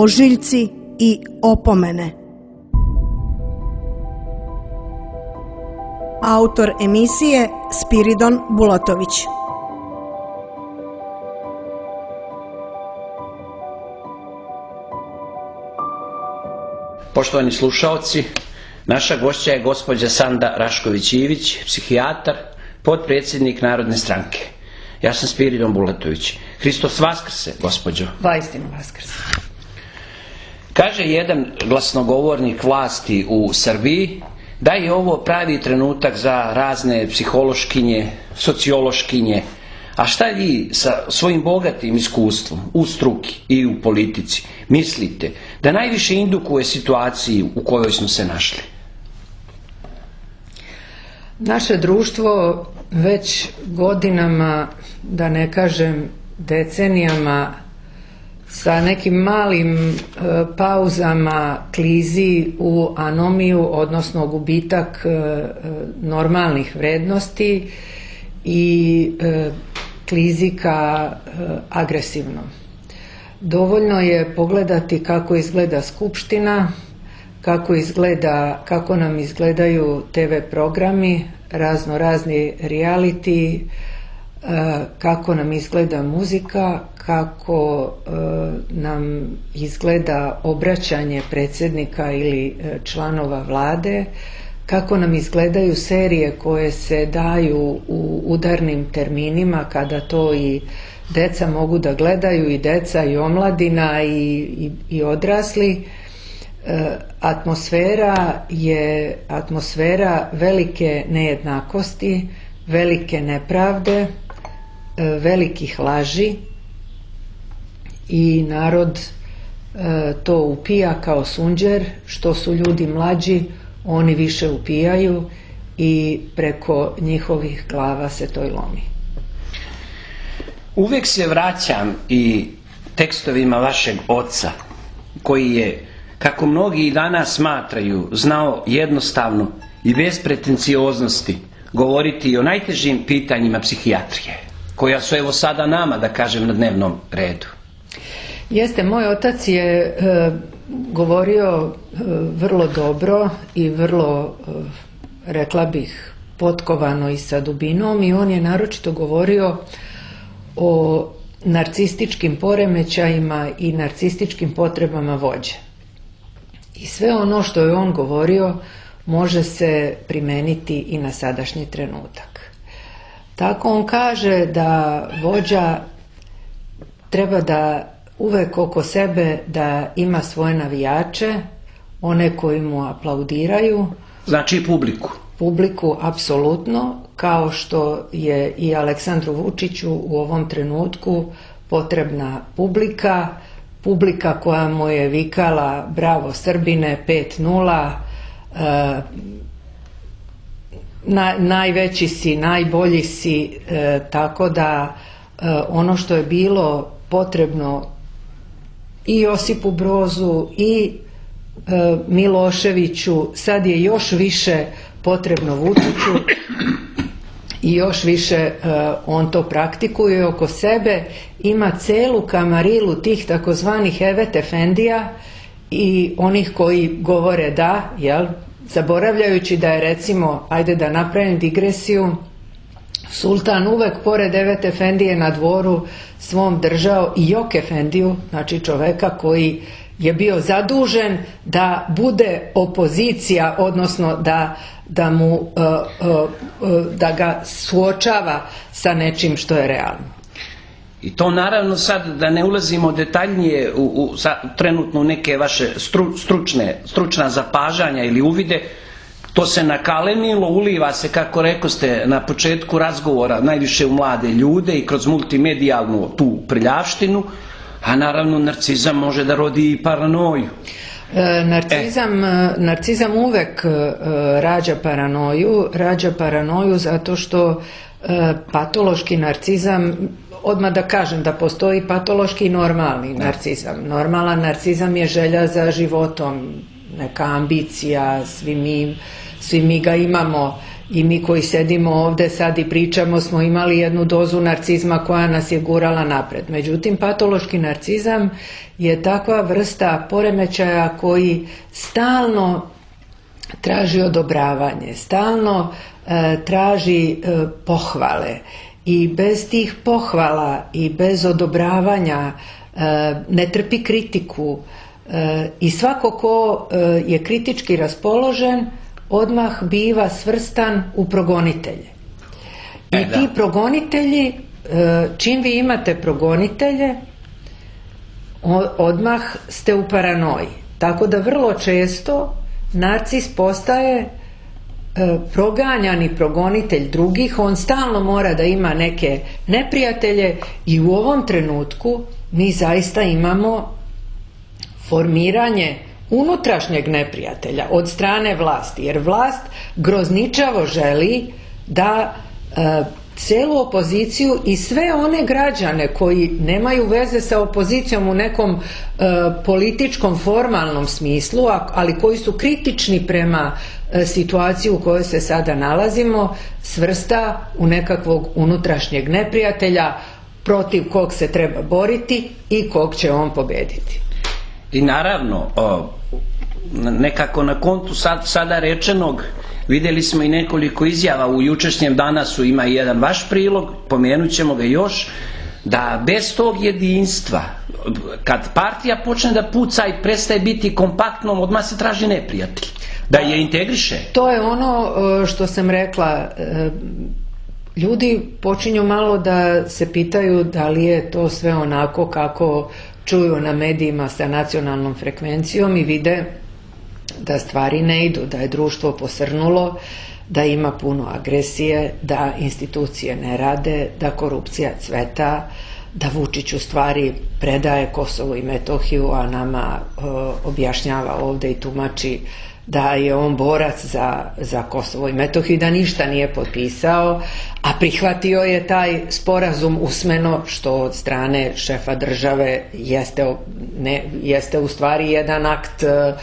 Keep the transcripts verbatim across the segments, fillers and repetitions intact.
ožiljci i opomene. Autor emisije Spiridon Bulatović. Poštovani slušaoci, naša gošća je gospođa Sanda Rašković-Ivić, psihijatar, potpredsjednik Narodne stranke. Ja sam Spiridon Bulatović. Hristos vaskrse, gospođo. Vaistinu vaskrse. Kaže jedan glasnogovornik vlasti u Srbiji da je ovo pravi trenutak za razne psihološkinje, sociološkinje. A šta vi sa svojim bogatim iskustvom u struki i u politici mislite da najviše indukuje situaciju u kojoj smo se našli? Naše društvo već godinama, da ne kažem decenijama, sa nekim malim e, pauzama klizi u anomiju, odnosno gubitak e, normalnih vrednosti i e, klizi ka e, agresivnom. Dovoljno je pogledati kako izgleda Skupština, kako izgleda, kako nam izgledaju te ve programi, razno razni reality, kako nam izgleda muzika, kako nam izgleda obraćanje predsjednika ili članova vlade, kako nam izgledaju serije koje se daju u udarnim terminima kada to i deca mogu da gledaju, i deca i omladina i, i, i odrasli. Atmosfera je atmosfera velike nejednakosti, velike nepravde, velikih laži, i narod to upija kao sunđer. Što su ljudi mlađi, oni više upijaju i preko njihovih glava se to i lomi. Uvijek se vraćam i tekstovima vašeg oca, koji je, kako mnogi i danas smatraju, znao jednostavno i bez pretencioznosti govoriti o najtežim pitanjima psihijatrije, koja su evo sada nama, da kažem, na dnevnom redu. Jeste, moj otac je e, govorio e, vrlo dobro i vrlo, e, rekla bih, potkovano i sa dubinom, i on je naročito govorio o narcističkim poremećajima i narcističkim potrebama vođe. I sve ono što je on govorio može se primeniti i na sadašnji trenutak. Tako on kaže da vođa treba da uvek oko sebe da ima svoje navijače, one koji mu aplaudiraju. Znači publiku. Publiku, apsolutno, kao što je i Aleksandru Vučiću u ovom trenutku potrebna publika, publika koja mu je vikala bravo Srbine, pet nula, e, na, najveći si, najbolji si, e, tako da e, ono što je bilo potrebno i Josipu Brozu i e, Miloševiću, sad je još više potrebno Vučiću i još više e, on to praktikuje oko sebe. Ima celu kamarilu tih takozvanih evet efendija i onih koji govore da, jel, zaboravljajući da je, recimo, ajde da napravim digresiju, sultan uvek pored evet efendije na dvoru svom držao i jok efendiju, znači čoveka koji je bio zadužen da bude opozicija, odnosno da, da, mu, uh, uh, da ga suočava sa nečim što je realno. I to naravno sad, da ne ulazimo detaljnije u, u, sa, trenutno u neke vaše stru, stručne, stručna zapažanja ili uvide, to se nakalemilo, uliva se, kako rekoste na početku razgovora, najviše u mlade ljude i kroz multimedijalnu tu prljavštinu, a naravno narcizam može da rodi i paranoju. E, narcizam, e. narcizam uvek e, rađa paranoju, rađa paranoju zato što e, patološki narcizam, odmah da kažem da postoji patološki i normalni narcizam. Normalan narcizam je želja za životom, neka ambicija, svi mi, svi mi ga imamo i mi koji sedimo ovde sad i pričamo smo imali jednu dozu narcizma koja nas je gurala napred. Međutim, patološki narcizam je takva vrsta poremećaja koji stalno traži odobravanje, stalno e, traži e, pohvale i bez tih pohvala i bez odobravanja e, ne trpi kritiku e, i svako ko e, je kritički raspoložen odmah biva svrstan u progonitelje. I e, ti progonitelji, e, čim vi imate progonitelje, odmah ste u paranoji. Tako da vrlo često narcis postaje e, proganjani progonitelj drugih, on stalno mora da ima neke neprijatelje i u ovom trenutku mi zaista imamo formiranje unutrašnjeg neprijatelja od strane vlasti, jer vlast grozničavo želi da e, celu opoziciju i sve one građane koji nemaju veze sa opozicijom u nekom e, političkom formalnom smislu, ali koji su kritični prema e, situaciji u kojoj se sada nalazimo, svrsta u nekakvog unutrašnjeg neprijatelja protiv kog se treba boriti i kog će on pobediti. I naravno, o, nekako na kontu sad, sada rečenog, vidjeli smo i nekoliko izjava u jučerašnjem Danasu, ima i jedan vaš prilog, pomenut ćemo ga još, da bez tog jedinstva, kad partija počne da puca i prestaje biti kompaktnom, odmah se traži neprijatelj, da je integriše. To je ono što sam rekla, ljudi počinju malo da se pitaju da li je to sve onako kako čuju na medijima sa nacionalnom frekvencijom i vide da stvari ne idu, da je društvo posrnulo, da ima puno agresije, da institucije ne rade, da korupcija cveta, da Vučić u stvari predaje Kosovo i Metohiju, a nama e, objašnjava ovde i tumači da je on borac za, za Kosovo i Metohiju, da ništa nije potpisao, a prihvatio je taj sporazum usmeno, što od strane šefa države jeste, ne, jeste u stvari jedan akt e,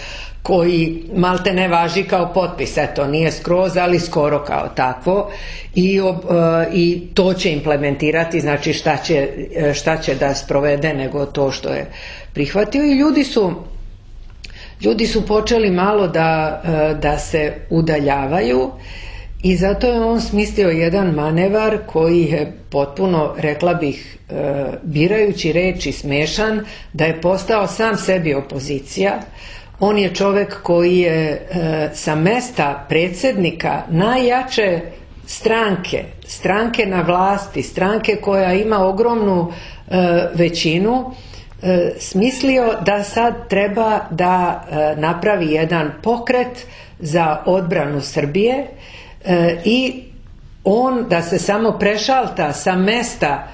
koji malte ne važi kao potpis, eto, nije skroz, ali skoro kao takvo i, uh, i to će implementirati, znači šta će, šta će da sprovede nego to što je prihvatio i ljudi su ljudi su počeli malo da, da se udaljavaju i zato je on smislio jedan manevar koji je potpuno, rekla bih, birajući reči smešan, da je postao sam sebi opozicija. On je čovek koji je e, sa mesta predsjednika najjače stranke, stranke na vlasti, stranke koja ima ogromnu e, većinu, e, smislio da sad treba da e, napravi jedan pokret za odbranu Srbije e, i on da se samo prešalta sa mesta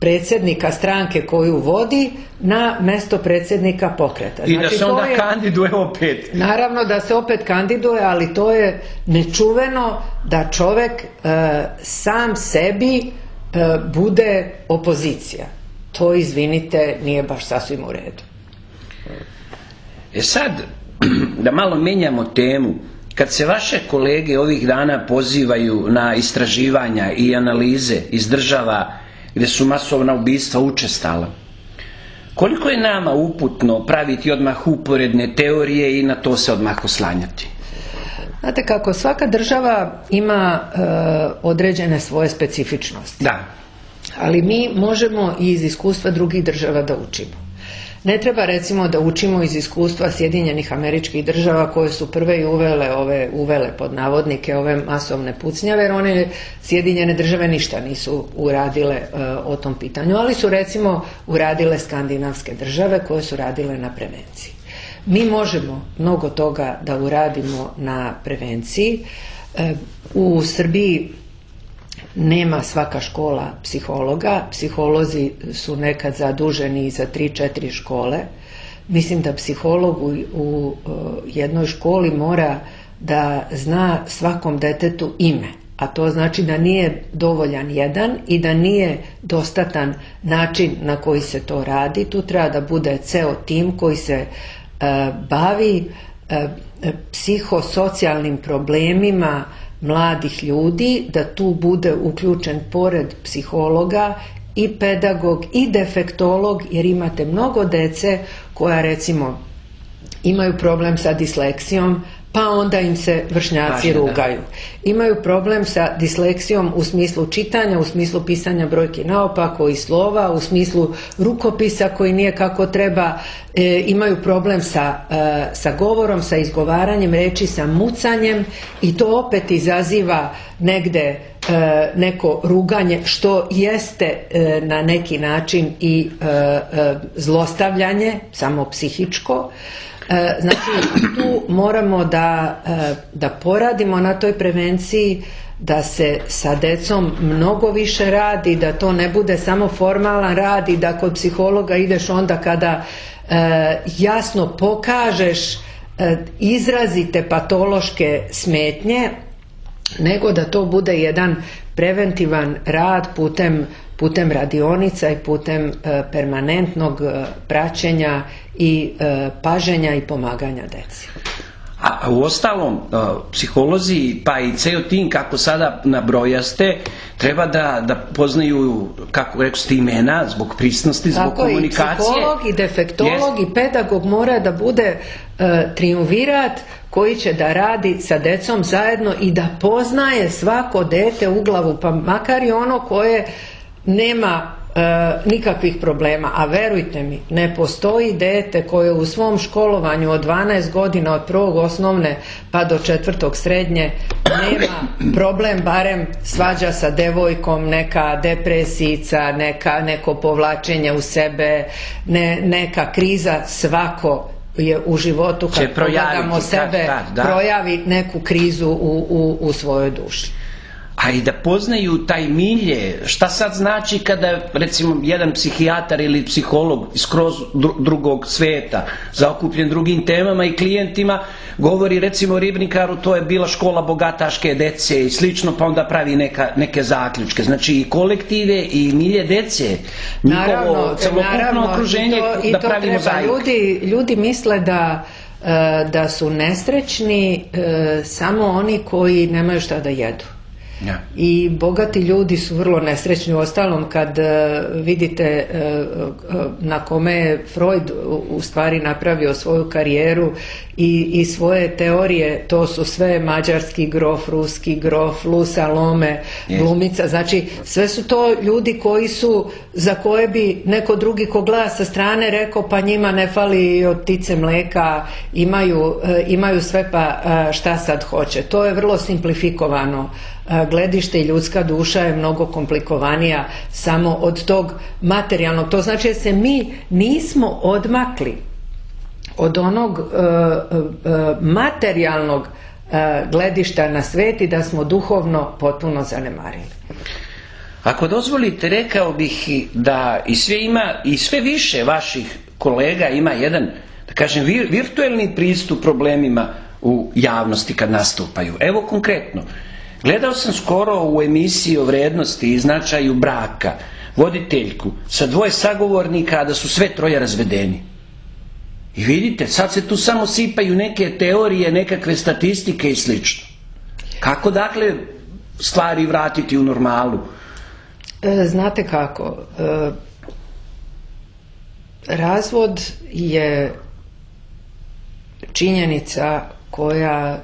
predsjednika stranke koju vodi na mesto predsjednika pokreta. I znači, da se onda je, kandiduje opet. Naravno da se opet kandiduje, ali to je nečuveno da čovek e, sam sebi e, bude opozicija. To, izvinite, nije baš sasvim u redu. E sad, da malo menjamo temu, kad se vaše kolege ovih dana pozivaju na istraživanja i analize iz država gdje su masovna ubistva učestala, koliko je nama uputno praviti odmah uporedne teorije i na to se odmah oslanjati? Znate kako, svaka država ima e, određene svoje specifičnosti. Da. Ali mi možemo i iz iskustva drugih država da učimo. Ne treba recimo da učimo iz iskustva Sjedinjenih Američkih Država koje su prve i uvele, ove, uvele pod navodnike ove masovne pucnjave, jer one Sjedinjene Države ništa nisu uradile e, o tom pitanju, ali su recimo uradile skandinavske države koje su radile na prevenciji. Mi možemo mnogo toga da uradimo na prevenciji. E, u Srbiji nema svaka škola psihologa, psiholozi su nekad zaduženi za tri četiri škole. Mislim da psiholog u, u jednoj školi mora da zna svakom detetu ime, a to znači da nije dovoljan jedan i da nije dostatan način na koji se to radi. Tu treba da bude ceo tim koji se e, bavi e, psihosocijalnim problemima mladih ljudi, da tu bude uključen pored psihologa i pedagog i defektolog, jer imate mnogo dece koja recimo imaju problem sa disleksijom, pa onda im se vršnjaci rugaju. Imaju problem sa disleksijom u smislu čitanja, u smislu pisanja brojki naopako i slova, u smislu rukopisa koji nije kako treba, e, imaju problem sa, e, sa govorom, sa izgovaranjem reči, sa mucanjem, i to opet izaziva negde e, neko ruganje, što jeste e, na neki način i e, e, zlostavljanje, samo psihičko. Znači, tu moramo da, da poradimo na toj prevenciji, da se sa decom mnogo više radi, da to ne bude samo formalan rad i da kod psihologa ideš onda kada e, jasno pokažeš e, izrazite patološke smetnje, nego da to bude jedan preventivan rad putem putem radionica i putem e, permanentnog e, praćenja i e, paženja i pomaganja deci. A, a u ostalom, e, psiholozi pa i ceo tim, kako sada nabrojaste, treba da, da poznaju, kako rekao ste, imena zbog prisnosti, zbog tako komunikacije. Tako i psiholog i defektolog yes. i pedagog mora da bude e, triumvirat koji će da radi sa decom zajedno i da poznaje svako dete u glavu, pa makar i ono koje nema e, nikakvih problema, a verujte mi, ne postoji dete koje u svom školovanju od dvanaest godina, od prvog osnovne pa do četvrtog srednje, nema problem, barem svađa sa devojkom, neka depresijica, neka, neko povlačenje u sebe, ne, neka kriza. Svako je u životu, kad pogledamo sebe, kad, da. projavi neku krizu u, u, u svojoj duši. A i da poznaju taj milje, šta sad znači kada recimo jedan psihijatar ili psiholog skroz drugog sveta, zaokupljen drugim temama i klijentima, govori recimo Ribnikaru to je bila škola bogataške dece i slično, pa onda pravi neka, neke zaključke. Znači i kolektive i milje dece, njihovo celokupno okruženje, i to, i da to pravimo treba. Ljudi, ljudi misle da, da su nesrećni samo oni koji nemaju šta da jedu. Ja. I bogati ljudi su vrlo nesrećni. Uostalom, kad uh, vidite uh, uh, na kome je Freud u, u stvari napravio svoju karijeru i, i svoje teorije, to su sve mađarski grof, ruski grof, Lu Salome, yes. glumica. Znači, sve su to ljudi koji su, za koje bi neko drugi ko gleda sa strane rekao, pa njima ne fali od ptice mleka, imaju, uh, imaju sve, pa uh, šta sad hoće. To je vrlo simplifikovano gledište i ljudska duša je mnogo komplikovanija samo od tog materijalnog. To znači da se mi nismo odmakli od onog uh, uh, materijalnog uh, gledišta na svet i da smo duhovno potpuno zanemarili. Ako dozvolite, rekao bih da i sve ima, i sve više vaših kolega ima jedan, da kažem, vir, virtuelni pristup problemima u javnosti kad nastupaju. Evo konkretno, gledao sam skoro u emisiji o vrednosti i značaju braka voditeljku sa dvoje sagovornika, da su sve troje razvedeni. I vidite, sad se tu samo sipaju neke teorije, nekakve statistike i slično. Kako dakle stvari vratiti u normalu? E, znate kako, e, razvod je činjenica koja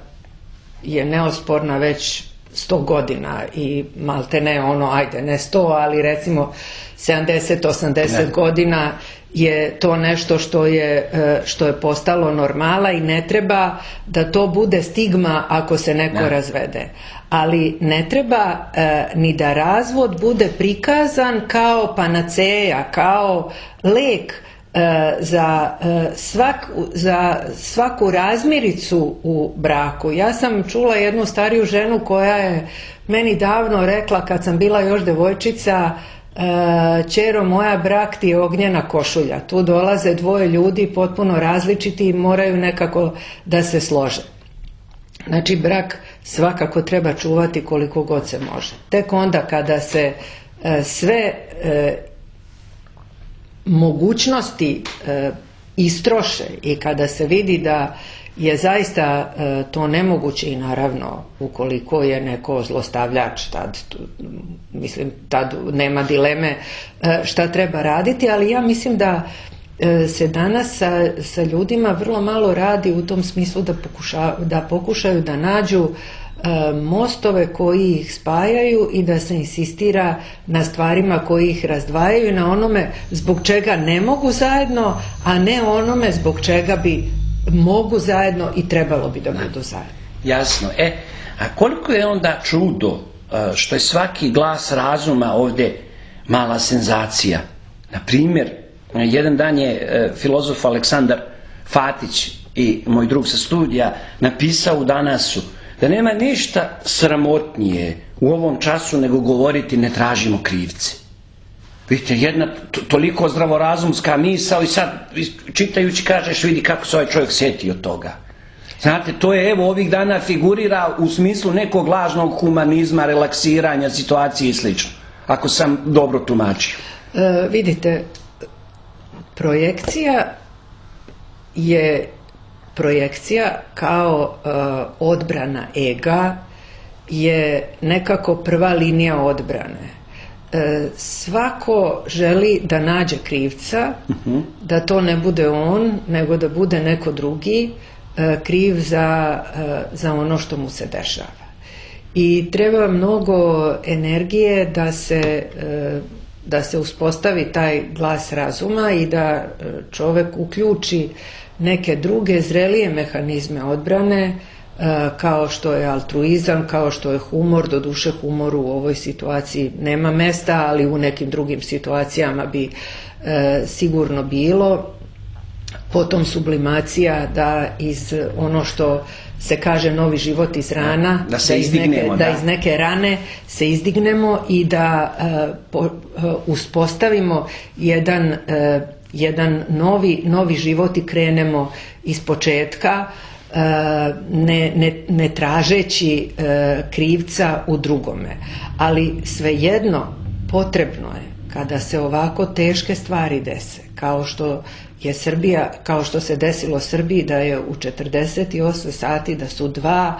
je neosporna već sto godina i malte ne ono, ajde ne sto, ali recimo sedamdeset osamdeset godina je to nešto što je, što je postalo normala i ne treba da to bude stigma ako se neko ne. razvede. Ali ne treba e, ni da razvod bude prikazan kao panaceja, kao lek Za, svak, za svaku razmiricu u braku. Ja sam čula jednu stariju ženu koja je meni davno rekla, kad sam bila još devojčica, ćero moja, brak ti je ognjena košulja. Tu dolaze dvoje ljudi potpuno različiti i moraju nekako da se slože. Znači, brak svakako treba čuvati koliko god se može. Tek onda kada se sve mogućnosti e, istroše i kada se vidi da je zaista to nemoguće i naravno ukoliko je neko zlostavljač, tad, mislim, tad nema dileme šta treba raditi, ali ja mislim da se danas sa, sa ljudima vrlo malo radi u tom smislu da, pokuša, da pokušaju da nađu mostove koji ih spajaju i da se insistira na stvarima koji ih razdvajaju, na onome zbog čega ne mogu zajedno, a ne onome zbog čega bi mogu zajedno i trebalo bi da budu zajedno. Jasno. E, a koliko je onda čudo što je svaki glas razuma ovdje mala senzacija. Na primjer, jedan dan je filozof Aleksandar Fatić i moj drug sa studija napisao u Danasu da nema ništa sramotnije u ovom času nego govoriti ne tražimo krivce. Vidite, jedna toliko zdravorazumska misao i sad čitajući kažeš vidi kako se ovaj čovjek sjetio toga. Znate, to je evo ovih dana figurira u smislu nekog lažnog humanizma, relaksiranja situacije i slično. Ako sam dobro tumačio. E, vidite, projekcija je projekcija kao e, odbrana ega je nekako prva linija odbrane. E, svako želi da nađe krivca, uh-huh. da to ne bude on, nego da bude neko drugi e, kriv za, e, za ono što mu se dešava. I treba mnogo energije da se, e, da se uspostavi taj glas razuma i da čovjek uključi neke druge zrelije mehanizme odbrane, kao što je altruizam, kao što je humor. Doduše humoru u ovoj situaciji nema mesta, ali u nekim drugim situacijama bi e, sigurno bilo. Potom sublimacija, da iz ono što se kaže novi život iz rana, da, se da, iz, neke, da. da iz neke rane se izdignemo i da e, po, e, uspostavimo jedan, e, jedan novi, novi život i krenemo iz početka, Ne, ne, ne tražeći e, krivca u drugome. Ali svejedno potrebno je kada se ovako teške stvari dese, kao što je Srbija, kao što se desilo Srbiji, da je u četrdeset osam sati da su dva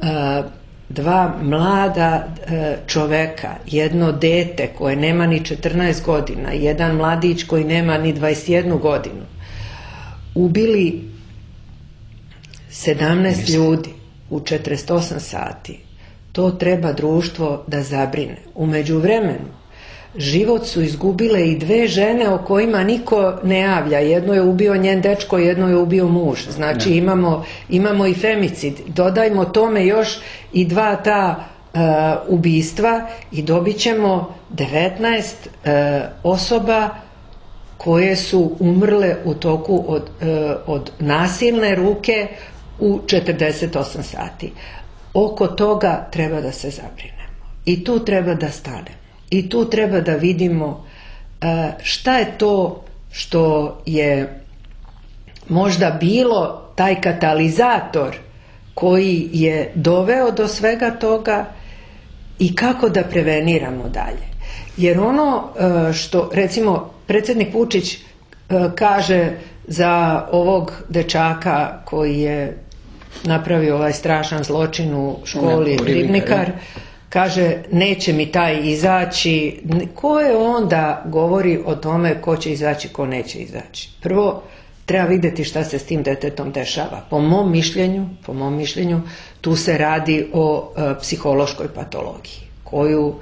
e, dva mlada e, čoveka, jedno dete koje nema ni četrnaest godina, jedan mladić koji nema ni dvadeset jednu godinu, ubili sedamnaest ljudi u četrdeset osam sati. To treba društvo da zabrine. U međuvremenu život su izgubile i dve žene o kojima niko ne javlja. Jedno je ubio njen dečko, jedno je ubio muž. Znači imamo, imamo i femicid. Dodajmo tome još i dva ta uh, ubistva i dobit ćemo devetnaest uh, osoba koje su umrle u toku od, uh, od nasilne ruke u četrdeset osam sati. Oko toga treba da se zabrinemo. I tu treba da stanemo. I tu treba da vidimo šta je to što je možda bilo taj katalizator koji je doveo do svega toga i kako da preveniramo dalje. Jer ono što, recimo, predsjednik Vučić kaže za ovog dečaka koji je napravio ovaj strašan zločin u školi Ribnikar, kaže neće mi taj izaći. Ko je onda govori o tome ko će izaći, ko neće izaći? Prvo treba vidjeti šta se s tim detetom dešava. Po mom mišljenju, po mom mišljenju tu se radi o e, psihološkoj patologiji koju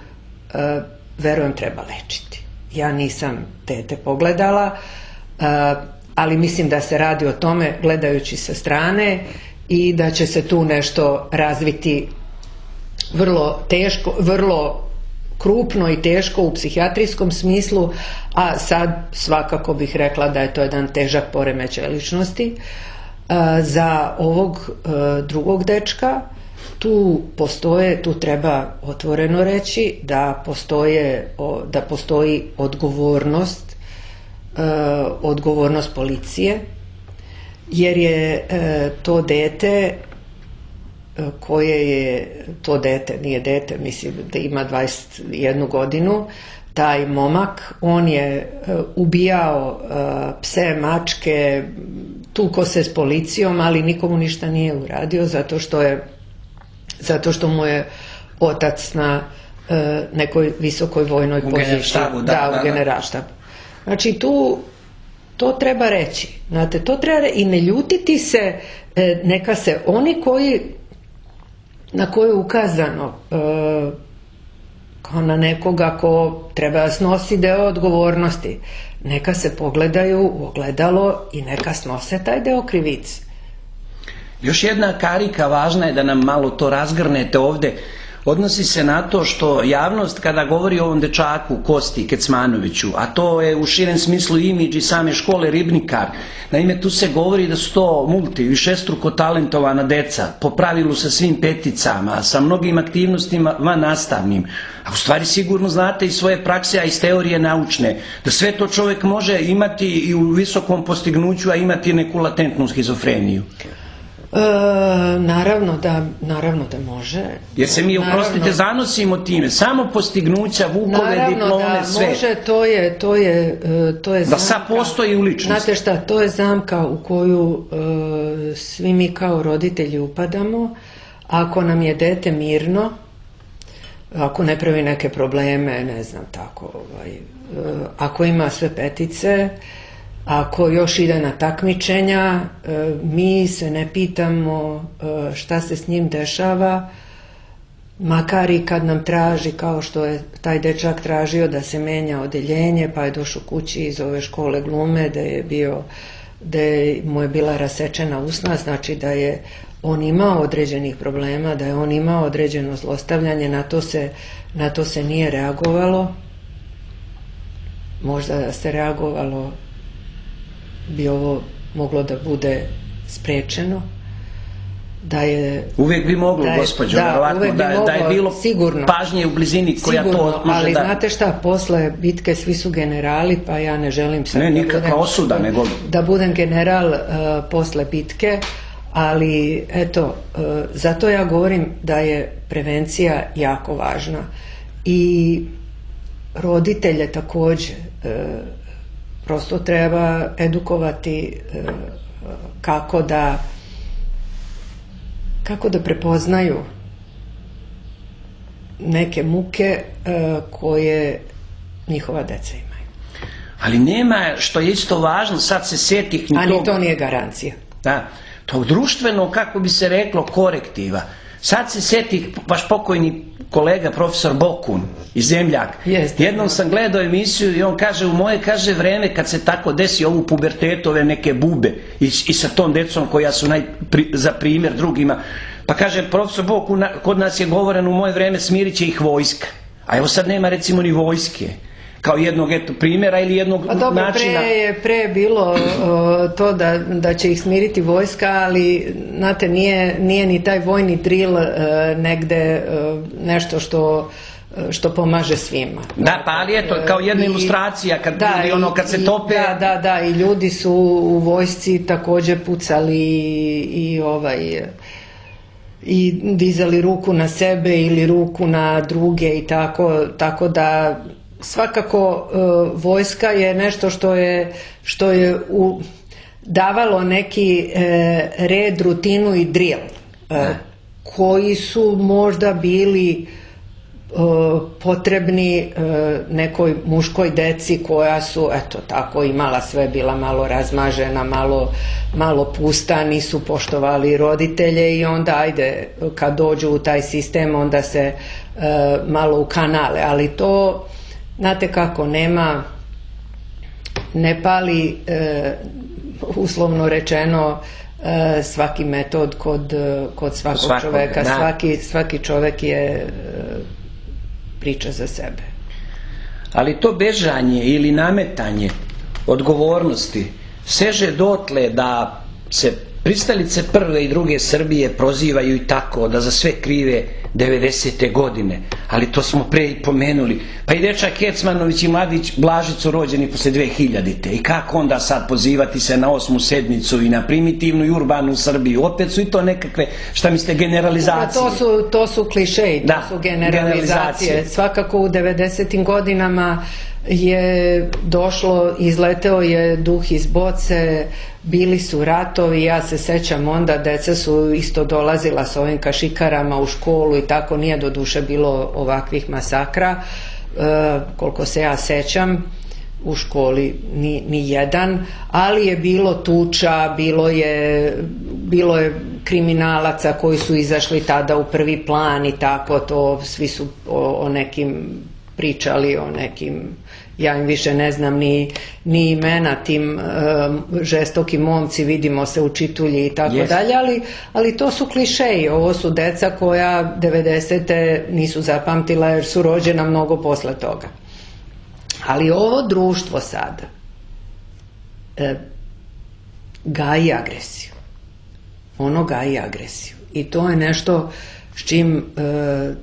e, verujem treba lečiti. Ja nisam dete pogledala, e, ali mislim da se radi o tome gledajući sa strane i da će se tu nešto razviti vrlo teško, vrlo krupno i teško u psihijatrijskom smislu, a sad svakako bih rekla da je to jedan težak poremećaj ličnosti. Za ovog drugog dečka tu postoje, tu treba otvoreno reći da postoje, da postoji odgovornost, odgovornost policije, jer je to dete koje je to dete, nije dete, mislim da ima dvadeset jednu godinu, taj momak, on je ubijao pse, mačke, tuko se s policijom, ali nikomu ništa nije uradio zato što je zato što mu je otac na nekoj visokoj vojnoj poziciji. U generalštabu, da. Da, u generalštabu. Znači tu to treba reći, znate, to treba reći i ne ljutiti se, neka se oni koji na koje je ukazano kao na nekoga ko treba snosi deo odgovornosti, neka se pogledaju u ogledalo i neka snose taj deo krivice. Još jedna karika važna je da nam malo to razgrnete ovde. Odnosi se na to što javnost kada govori o ovom dečaku Kosti Kecmanoviću, a to je u širem smislu imidž i same škole Ribnikar, naime tu se govori da su to multi, višestruko talentovana deca, po pravilu sa svim peticama, sa mnogim aktivnostima van nastavnim, a u stvari sigurno znate iz svoje prakse, a iz teorije naučne, da sve to čovjek može imati i u visokom postignuću, a imati neku latentnu schizofreniju. E, naravno da naravno da može. Jer se mi, oprostite, zanosimo time, samo postignuća, vukove, naravno diplome, da sve. Može, to je to je to je da zamka. sad postoji u ličnosti. Znate šta, to je zamka u koju e, svi mi kao roditelji upadamo. Ako nam je dete mirno, ako ne pravi neke probleme, ne znam tako, ovaj, e, ako ima sve petice, ako još ide na takmičenja, mi se ne pitamo šta se s njim dešava, makar i kad nam traži, kao što je taj dečak tražio da se menja odeljenje, pa je došao kući iz ove škole glume, da je bio, da je, mu je bila rasečena usna, znači da je on imao određenih problema, da je on imao određeno zlostavljanje, na to se, na to se nije reagovalo. Možda da se reagovalo bi ovo moglo da bude sprečeno, da je... Uvijek bi moglo, da je, gospođo, da, verovatno, uvijek bi da, moglo, da je bilo sigurno, pažnje u blizini koja sigurno, to može ali da... znate šta, posle bitke svi su generali, pa ja ne želim sad ne, da, nikakva budem, osuda, nego... da budem general uh, posle bitke, ali eto, uh, zato ja govorim da je prevencija jako važna i roditelje takođe uh, prosto treba edukovati kako da kako da prepoznaju neke muke koje njihova deca imaju. Ali nema, što je isto važno, sad se setih... A ni to nije garancija. Da, to društveno, kako bi se reklo, korektiva. Sad se setih, vaš pokojni kolega profesor Bokun iz Zemljak. Jeste, jednom sam gledao emisiju i on kaže, u moje, kaže, vreme kad se tako desi ovu pubertetu, ove neke bube i, i sa tom decom koja su naj, pri, za primjer drugima, pa kaže profesor Bokun, kod nas je govoreno u moje vreme smirit će ih vojska, a evo sad nema recimo ni vojske kao jednog eto primjera ili jednog a dobro, načina. Pre je pre bilo uh, to da, da će ih smiriti vojska, ali znate, nije, nije ni taj vojni drill uh, negde uh, nešto što što pomaže svima. Da, pa ali eto, kao jedna I, ilustracija kad da, ljudi ono kad se tope. Da, da, da, i ljudi su u vojsci također pucali i, i ovaj i dizali ruku na sebe ili ruku na druge i tako, tako da svakako uh, vojska je nešto što je, što je u, davalo neki uh, red, rutinu i drill uh, koji su možda bili uh, potrebni uh, nekoj muškoj deci koja su eto tako imala sve, bila malo razmažena, malo, malo pusta, nisu poštovali roditelje i onda ajde kad dođu u taj sistem onda se uh, malo u kanale, ali to znate kako, nema, ne pali e, uslovno rečeno e, svaki metod kod, kod svakog Svakog, čoveka, svaki, svaki čovek je e, priča za sebe. Ali to bežanje ili nametanje odgovornosti seže dotle da se Pristalice prve i druge Srbije prozivaju i tako da za sve krive devedesete godine, ali to smo pre i pomenuli. Pa i dečak Kecmanović i mladić Blažić su rođeni posle dve hiljadite. I kako onda sad pozivati se na osmu sednicu i na primitivnu i urbanu Srbiju? Opet su i to nekakve, šta mislite, generalizacije. To su, to su klišeji, to da, su generalizacije. generalizacije. Svakako u devedesetim godinama je došlo, izleteo je duh iz boce, bili su ratovi, ja se sećam onda, deca su isto dolazila s ovim kašikarama u školu i tako, nije do duše bilo ovakvih masakra, e, koliko se ja sećam, u školi ni, ni jedan, ali je bilo tuča, bilo je, bilo je kriminalaca koji su izašli tada u prvi plan i tako, to svi su o, o nekim pričali, o nekim, ja im više ne znam ni, ni imena, tim um, žestoki momci, vidimo se u čitulji i tako yes. dalje, ali, ali to su klišeji, ovo su deca koja devedesete nisu zapamtila jer su rođena mnogo posle toga. Ali ovo društvo sada e, gaji agresiju. Ono gaji agresiju. I to je nešto s čim e,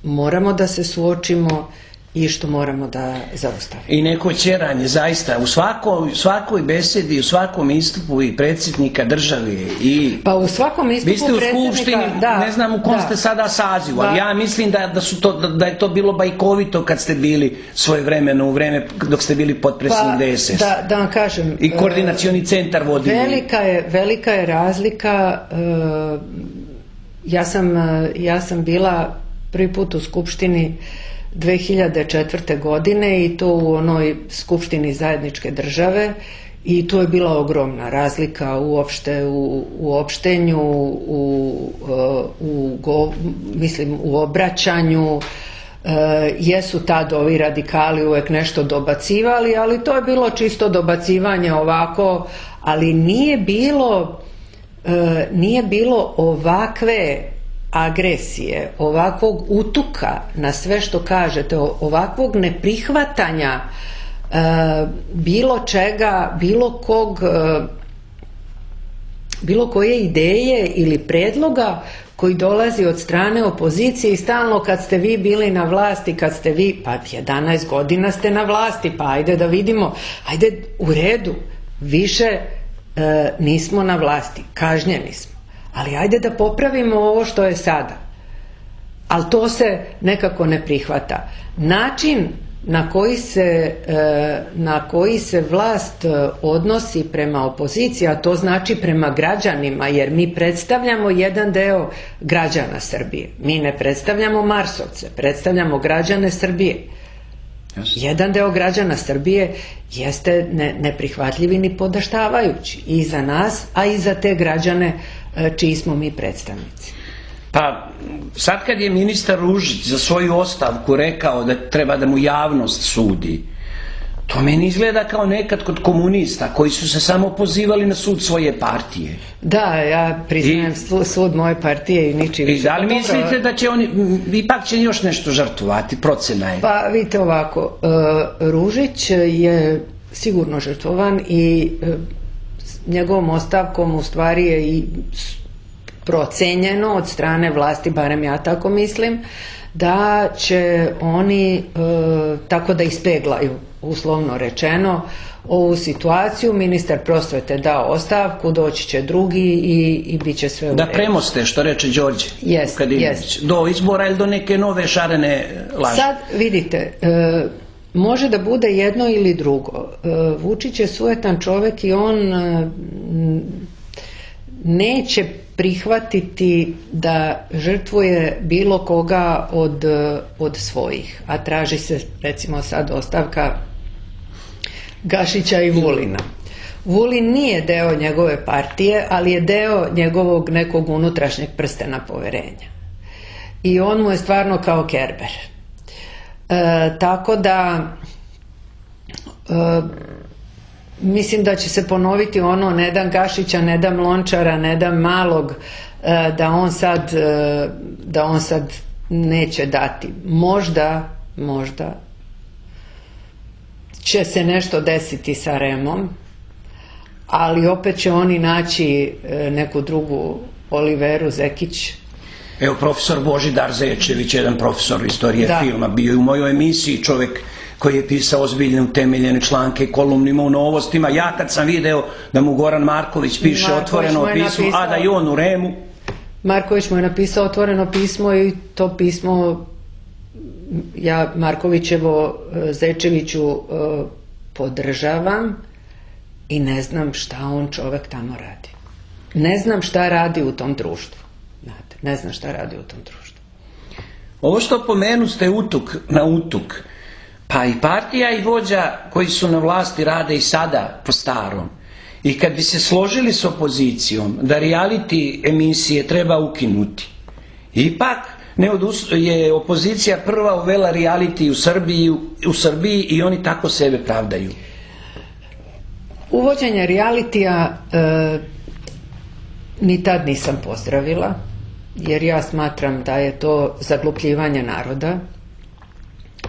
moramo da se suočimo i što moramo da zaustavimo. I neko ćeranje, zaista, u svakoj, svakoj besedi, u svakom istupu i predsjednika države i... Pa u svakom istupu predsjednika... Vi ste u Skupštini, da, ne znam u kom da, ste sada sazivu, ali da. ja mislim da, da, su to, da, da je to bilo bajkovito kad ste bili svojevremeno, u vreme dok ste bili potpredsjednik pa, D S S. Da, da vam kažem... I koordinacioni centar vodili. Velika je, velika je razlika. Uh, ja, sam, ja sam bila prvi put u Skupštini dve hiljade četvrte. godine i to u onoj Skupštini zajedničke države i tu je bila ogromna razlika uopšte u, u opštenju, u, u, u, mislim, u obraćanju. E, jesu tad ovi radikali uvek nešto dobacivali, ali to je bilo čisto dobacivanje ovako, ali nije bilo, e, nije bilo ovakve agresije, ovakvog utuka na sve što kažete, ovakvog neprihvatanja e, bilo čega, bilo kog, e, bilo koje ideje ili predloga koji dolazi od strane opozicije i stalno kad ste vi bili na vlasti, kad ste vi, pa jedanaest godina ste na vlasti, pa ajde da vidimo, ajde u redu, više e, nismo na vlasti, kažnjeni smo. Ali ajde da popravimo ovo što je sada. Ali to se nekako ne prihvata. Način na koji se, na koji se vlast odnosi prema opoziciji, a to znači prema građanima, jer mi predstavljamo jedan deo građana Srbije. Mi ne predstavljamo Marsovce, predstavljamo građane Srbije. Jedan deo građana Srbije jeste ne, neprihvatljivi ni podaštavajući i za nas, a i za te građane čiji smo mi predstavnici. Pa sad kad je ministar Ružić za svoju ostavku rekao da treba da mu javnost sudi, to meni izgleda kao nekad kod komunista koji su se samo pozivali na sud svoje partije. Da, ja priznajem I, sud moje partije i niči više. I da li mislite da će oni, ipak će još nešto žrtvovati, procena je? Pa vidite ovako, Ružić je sigurno žrtvovan i njegovom ostavkom u stvari je i procenjeno od strane vlasti, barem ja tako mislim, da će oni e, tako da ispeglaju, uslovno rečeno, ovu situaciju. Ministar prosvete dao ostavku, doći će drugi i, i bit će sve u redu. Da premoste, što reče Đorđe. Jest, jest. Do izbora ili do neke nove šarene laže. Sad vidite, e, može da bude jedno ili drugo. E, Vučić je sujetan čovek i on e, neće prihvatiti da žrtvuje bilo koga od, od svojih, a traži se recimo sad ostavka Gašića i Vulina. Vulin nije deo njegove partije, ali je deo njegovog nekog unutrašnjeg prstena poverenja. I on mu je stvarno kao Kerber. E, tako da e, mislim da će se ponoviti ono ne dam Gašića, ne dam Lončara, ne dam Malog, da on sad, da on sad neće dati. Možda, možda će se nešto desiti sa Remom, ali opet će oni naći neku drugu Oliveru Zekić. Evo, profesor Božidar Zečević, jedan profesor istorije da. filma, bio je u mojoj emisiji, čovjek koji je pisao ozbiljne utemeljene članke, kolumnima u Novostima. Ja kad sam video da mu Goran Marković piše Marković otvoreno pismo, napisao, a da i on u Remu. Marković mu je napisao otvoreno pismo i to pismo ja Markovićevo Zečeviću podržavam i ne znam šta on čovjek tamo radi. Ne znam šta radi u tom društvu. Znate, ne znam šta radi u tom društvu. Ovo što pomenu ste utuk na utuk, pa i partija i vođa koji su na vlasti rade i sada po starom. I kad bi se složili s opozicijom da reality emisije treba ukinuti, ipak ne odus- je opozicija prva uvela reality u Srbiji, u Srbiji i oni tako sebe pravdaju. Uvođenje realitija e, ni tad nisam pozdravila, jer ja smatram da je to zaglupljivanje naroda.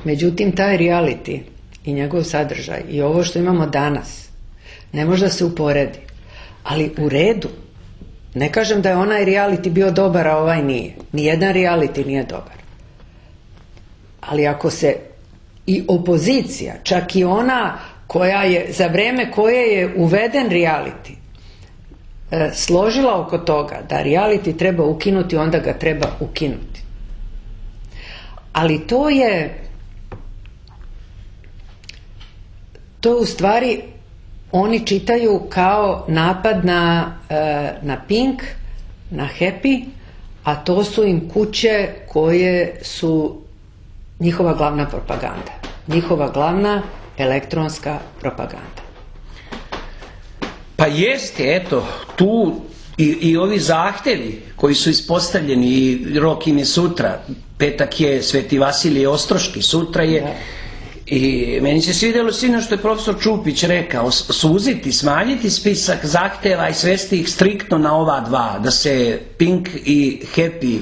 Međutim, taj reality i njegov sadržaj i ovo što imamo danas ne može da se uporedi, ali u redu. Ne kažem da je onaj reality bio dobar, a ovaj nije. Nijedan reality nije dobar. Ali ako se i opozicija, čak i ona koja je, za vreme koje je uveden reality, e, složila oko toga da reality treba ukinuti, onda ga treba ukinuti. Ali to je to u stvari oni čitaju kao napad na, na Pink, na Happy, a to su im kuće koje su njihova glavna propaganda. Njihova glavna elektronska propaganda. Pa jeste, eto, tu i, i ovi zahtevi koji su ispostavljeni, i rok im je sutra, petak je Sveti Vasilije Ostroški, sutra je... Da. I meni se svidjelo sino što je profesor Čupić rekao, suziti, smanjiti spisak zahtjeva i svesti ih striktno na ova dva, da se Pink i Happy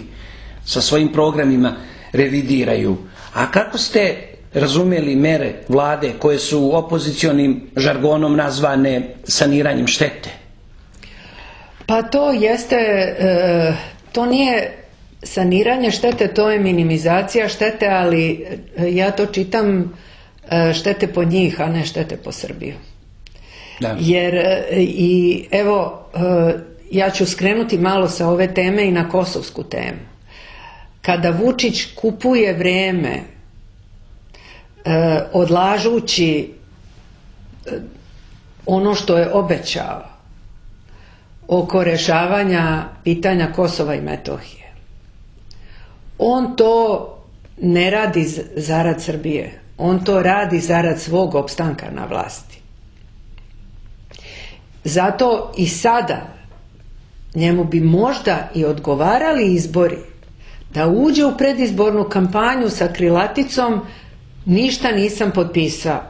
sa svojim programima revidiraju. A kako ste razumjeli mere vlade koje su opozicionim žargonom nazvane saniranjem štete? Pa to jeste, e, to nije saniranje štete, to je minimizacija štete, ali ja to čitam štete po njih, a ne štete po Srbiju. Da. Jer i evo, ja ću skrenuti malo sa ove teme i na kosovsku temu. Kada Vučić kupuje vreme odlažući ono što je obećao oko rješavanja pitanja Kosova i Metohije, on to ne radi zarad Srbije. On to radi zarad svog opstanka na vlasti. Zato i sada njemu bi možda i odgovarali izbori da uđe u predizbornu kampanju sa krilaticom ništa nisam potpisao.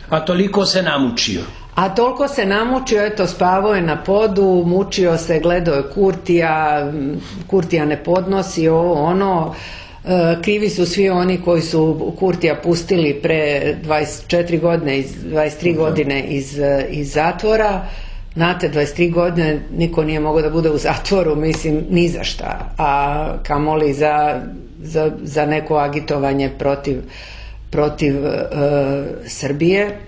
A toliko se namučio. A toliko se namučio, eto, spavao je na podu, mučio se, gledao je Kurtija, Kurtija ne podnosi ovo, ono. Krivi su svi oni koji su Kurtija pustili pre dvadeset četiri godine, dvadeset tri godine iz, iz zatvora. Znate, dvadeset tri godine niko nije mogao da bude u zatvoru, mislim, ni za šta, a kamoli za, za, za neko agitovanje protiv, protiv uh, Srbije.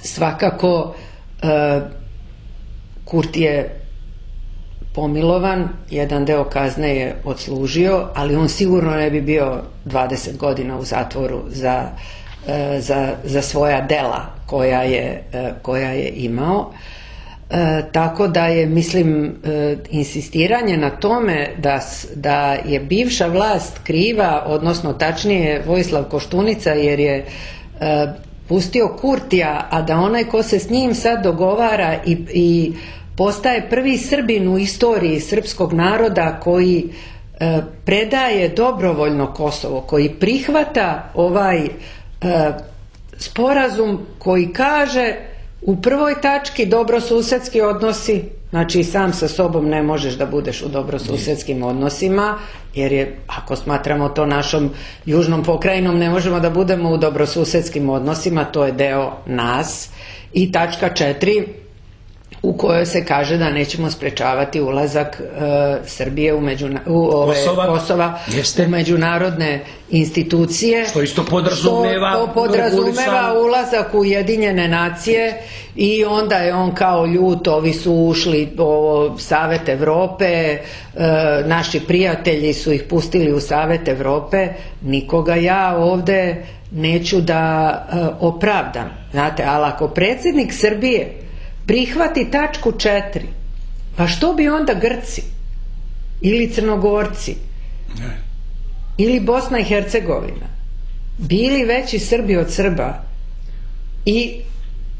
Svakako uh, Kurti je pomilovan, jedan deo kazne je odslužio, ali on sigurno ne bi bio dvadeset godina u zatvoru za, za, za svoja dela koja je, koja je imao. E, tako da je, mislim, e, insistiranje na tome da, da je bivša vlast kriva, odnosno tačnije Vojislav Koštunica, jer je e, pustio Kurtija, a da onaj ko se s njim sad dogovara i, i postaje prvi Srbin u istoriji srpskog naroda koji e, predaje dobrovoljno Kosovo, koji prihvata ovaj e, sporazum koji kaže u prvoj tački dobrosusedski odnosi, znači sam sa sobom ne možeš da budeš u dobrosusedskim odnosima, jer je, ako smatramo to našom južnom pokrajinom, ne možemo da budemo u dobrosusedskim odnosima, to je deo nas. I tačka četiri, u kojoj se kaže da nećemo sprečavati ulazak e, Srbije u, međuna, u ove, Kosova, Kosova u međunarodne institucije. Što isto podrazumeva, što, to podrazumeva ulazak u Ujedinjene nacije i onda je on kao ljut, ovi su ušli u Savet Evrope, e, naši prijatelji su ih pustili u Savet Evrope, nikoga ja ovde neću da e, opravdam. Znate, ali ako predsjednik Srbije prihvati tačku četiri, pa što bi onda Grci ili Crnogorci ne. ili Bosna i Hercegovina bili veći Srbi od Srba i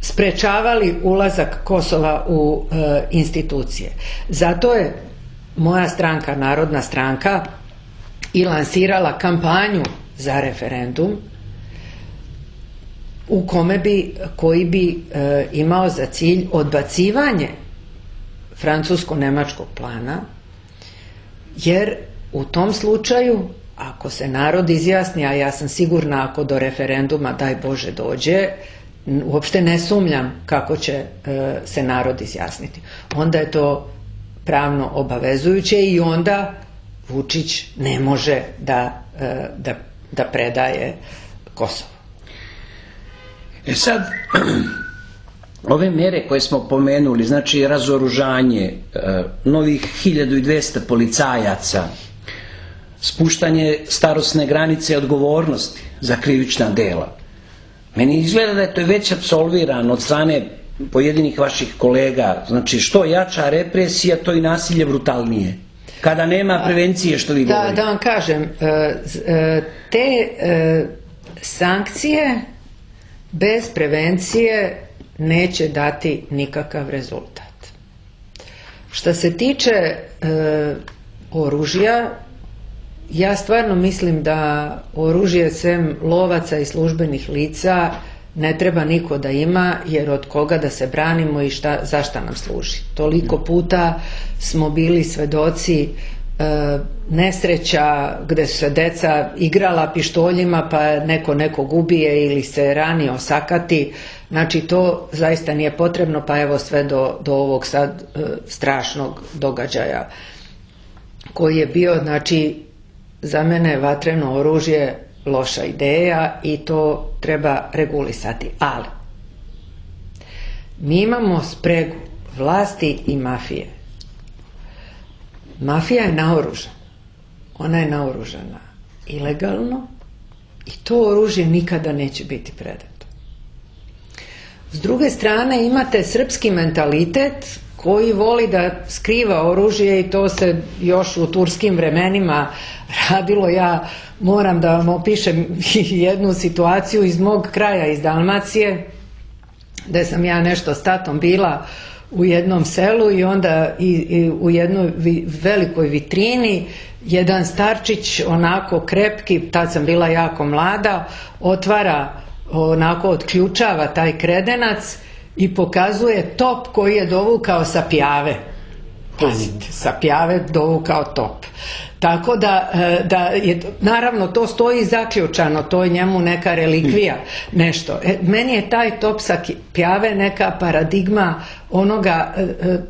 sprečavali ulazak Kosova u e, institucije. Zato je moja stranka, Narodna stranka, i lansirala kampanju za referendum u kome bi, koji bi e, imao za cilj odbacivanje francusko-nemačkog plana, jer u tom slučaju, ako se narod izjasni, a ja sam sigurna ako do referenduma, daj Bože, dođe, uopšte ne sumnjam kako će e, se narod izjasniti. Onda je to pravno obavezujuće i onda Vučić ne može da, e, da, da predaje Kosovo. E sad, ove mjere koje smo pomenuli, znači razoružanje, novih hiljadu dvesta policajaca, spuštanje starosne granice odgovornosti za krivična dela, meni izgleda da je to već apsolvirano od strane pojedinih vaših kolega. Znači, što jača represija, to i nasilje brutalnije. Kada nema prevencije, što vi govorite. Da, da vam kažem, te sankcije bez prevencije neće dati nikakav rezultat. Što se tiče e, oružja, ja stvarno mislim da oružje sem lovaca i službenih lica ne treba niko da ima, jer od koga da se branimo i šta, za šta nam služi. Toliko puta smo bili svedoci e, nesreća gde su se deca igrala pištoljima pa neko nekog ubije ili se rani, osakati. Znači to zaista nije potrebno, pa evo sve do, do ovog sad e, strašnog događaja koji je bio. Znači za mene je vatreno oružje loša ideja i to treba regulisati. Ali mi imamo spregu vlasti i mafije. Mafija je naoružana. Ona je naoružana ilegalno i to oružje nikada neće biti predato. S druge strane imate srpski mentalitet koji voli da skriva oružje i to se još u turskim vremenima radilo. Ja moram da vam opišem jednu situaciju iz mog kraja, iz Dalmacije, gde sam ja nešto s tatom bila u jednom selu i onda i, i u jednoj vi, velikoj vitrini jedan starčić, onako krepki, tad sam bila jako mlada, otvara, onako otključava taj kredenac i pokazuje top koji je dovukao sa Pjave. Pazite, sa Pjave dovukao top. Tako da, da je, naravno to stoji zaključano, to je njemu neka relikvija, nešto. E, meni je taj top sa Pjave neka paradigma onoga,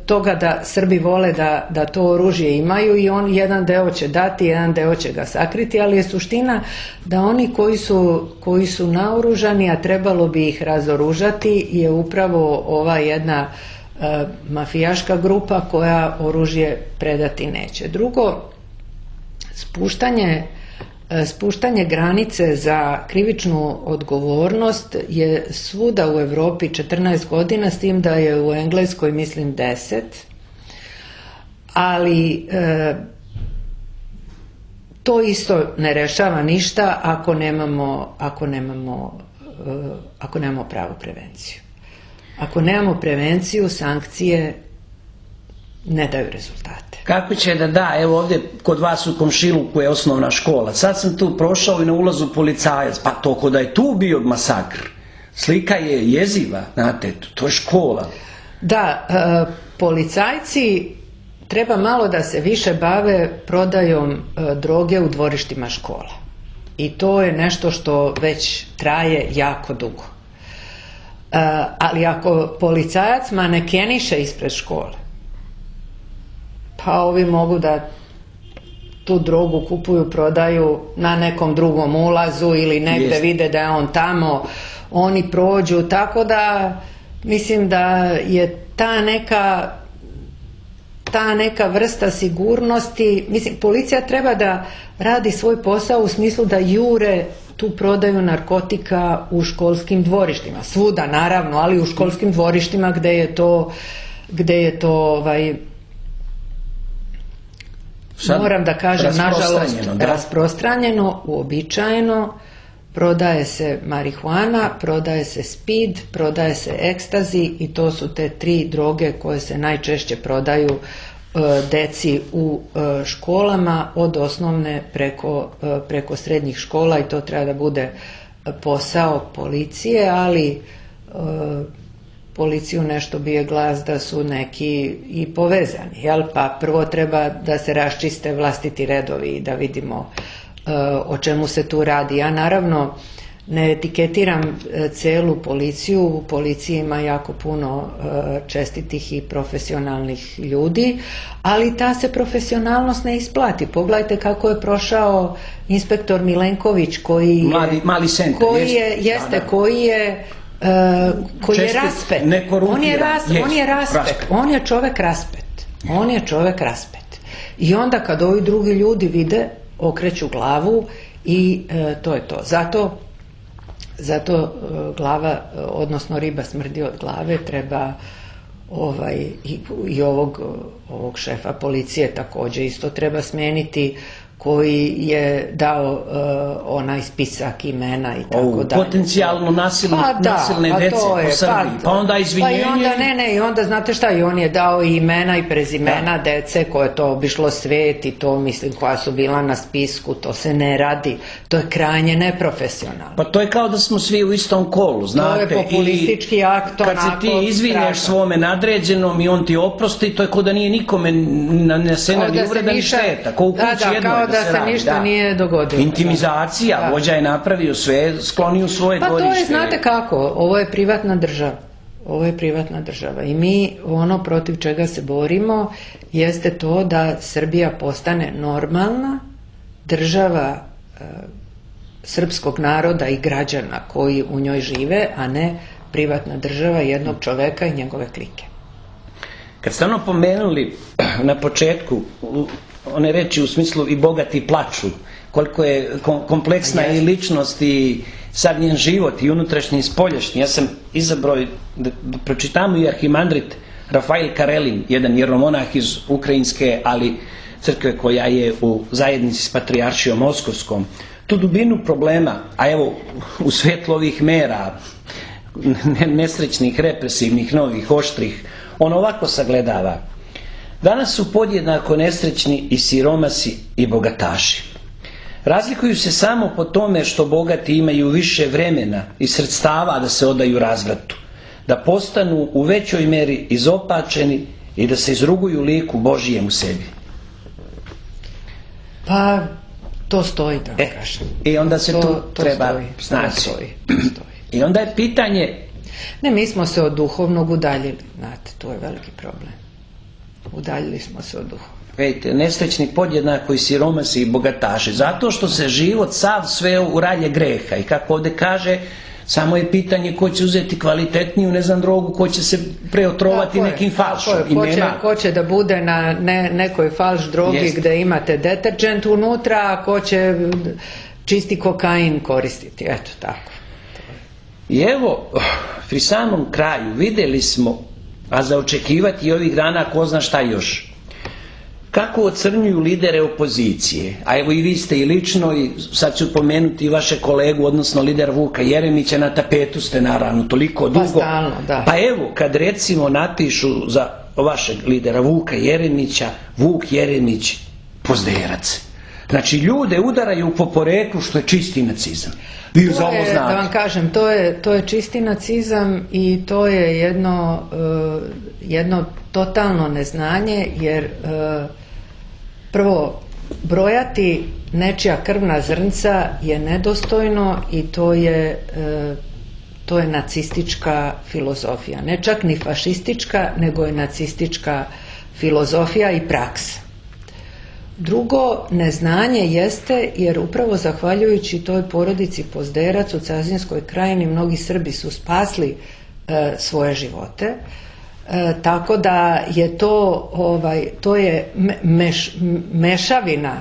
toga da Srbi vole da, da to oružje imaju i on jedan deo će dati, jedan deo će ga sakriti, ali je suština da oni koji su, koji su naoružani, a trebalo bi ih razoružati, je upravo ova jedna uh, mafijaška grupa koja oružje predati neće. Drugo, Spuštanje, spuštanje granice za krivičnu odgovornost je svuda u Evropi četrnaest godina, s tim da je u Engleskoj mislim deset, ali e, to isto ne rešava ništa ako nemamo, ako nemamo, e, ako nemamo pravu prevenciju. Ako nemamo prevenciju, sankcije ne daju rezultate. Kako će da da, evo ovdje kod vas u komšiluku je osnovna škola, sad sam tu prošao i na ulazu policajac, pa to ko da je tu bio masakr, slika je jeziva, znate, to je škola. Da, e, policajci treba malo da se više bave prodajom e, droge u dvorištima škola i to je nešto što već traje jako dugo. ali ako policajac manekeniše ispred škole, pa ovi mogu da tu drogu kupuju, prodaju na nekom drugom ulazu ili negde Jest. vide da je on tamo, oni prođu, tako da mislim da je ta neka ta neka vrsta sigurnosti, mislim, policija treba da radi svoj posao u smislu da jure tu prodaju narkotika u školskim dvorištima, svuda naravno, ali u školskim dvorištima gde je to gde je to ovaj, Sad, moram da kažem, nažalost, rasprostranjeno, da. rasprostranjeno, uobičajeno, prodaje se marihuana, prodaje se speed, prodaje se ekstazi i to su te tri droge koje se najčešće prodaju e, deci u e, školama od osnovne preko, e, preko srednjih škola i to treba da bude posao policije, ali e, policiju nešto bije glas da su neki i povezani, jel? Pa prvo treba da se raščiste vlastiti redovi i da vidimo o čemu se tu radi. Ja naravno ne etiketiram celu policiju, u policiji ima jako puno čestitih i profesionalnih ljudi, ali ta se profesionalnost ne isplati. Pogledajte kako je prošao inspektor Milenković koji je, mali, mali centar, koji je, jeste, da, da. koji je Uh, koji Čestit, je raspet. On je, ras, yes, on je raspet. raspet. On je čovek raspet. On je čovek raspet. I onda kad ovi drugi ljudi vide, okreću glavu i uh, to je to. Zato, zato uh, glava, odnosno riba smrdi od glave, treba ovaj, i, i ovog, ovog šefa policije takođe isto treba smeniti, koji je dao uh, onaj spisak imena i tako dalje. Potencijalno nasilne, pa da, nasilne pa dece je, po Srbiji. Pa, pa onda izvinjenje. Pa i onda, ne, ne, i onda znate šta, i on je dao i imena i prezimena da. dece koje to obišlo svet i to, mislim, koja su bila na spisku, to se ne radi. To je krajnje neprofesionalno. Pa to je kao da smo svi u istom kolu, znate. To je populistički akt, onako. Kad se ti izvinješ svome nadređenom i on ti oprosti, to je kao da nije nikome nanesena ni uvreda ni šteta. Ko u kući da, da, jednoj kao da, da se, radi, ništa da. nije dogodilo. Intimizacija, da. Vođa je napravio sve, sklonio svoje pa dvorište. Pa to je, znate kako, ovo je privatna država. Ovo je privatna država i mi ono protiv čega se borimo jeste to da Srbija postane normalna država e, srpskog naroda i građana koji u njoj žive, a ne privatna država jednog čoveka i njegove klike. Kad ste ono pomenuli na početku one reči u smislu i bogati plaču, koliko je kompleksna i ličnost i sad njen život i unutrašnji i spoljašnji. Ja sam izabrao da, da pročitamo i arhimandrit Rafael Karelin, jedan jeromonah iz ukrajinske, ali crkve koja je u zajednici s patrijaršijom moskovskom. Tu dubinu problema, a evo u svetlu ovih mera, nesrećnih, represivnih, novih, oštrih, on ovako sagledava. Danas su podjednako nesrećni i siromasi i bogataši. Razlikuju se samo po tome što bogati imaju više vremena i sredstava da se odaju razvratu, da postanu u većoj meri izopačeni i da se izruguju liku Božijem u sebi. Pa, to stoji, da e, kažem. I onda se to, tu to treba stoji, snaći. To stoji, to stoji. I onda je pitanje... Ne, mi smo se od duhovnog udaljili, znate, to je veliki problem. Udaljili smo se od duhovnog. Vidite, nesrećni podjednako i siromasi i bogataši, zato što se život sav sveo u ralje greha i kako ovdje kaže, samo je pitanje ko će uzeti kvalitetniju, ne znam, drogu, ko će se preotrovati tako nekim je, falšom. Tako je, ko, će, ko će da bude na ne, nekoj falš drogi Jest. Gde imate deterđent unutra, a ko će čisti kokain koristiti, eto tako. I evo, pri samom kraju vidjeli smo, a za očekivati i ovih dana ko zna šta još, kako ocrnjuju lidere opozicije, a evo i vi ste i lično, i sad ću pomenuti i vaše kolegu, odnosno lider Vuka Jeremića, na tapetu ste naravno toliko dugo. Pa stalno, da. Pa evo, kad recimo napišu za vašeg lidera Vuka Jeremića, Vuk Jeremić pozderac. Znači, ljude udaraju po poreklu, što je čisti nacizam. Vi za ovo znate. Da vam kažem, to je, to je čisti nacizam i to je jedno, uh, jedno totalno neznanje, jer uh, prvo, brojati nečija krvna zrnca je nedostojno i to je, uh, to je nacistička filozofija. Ne čak ni fašistička, nego je nacistička filozofija i praksa. Drugo, neznanje jeste, jer upravo zahvaljujući toj porodici Pozderac u Cazinskoj krajini mnogi Srbi su spasli e, svoje živote. E, tako da je to, ovaj, to je meš, mešavina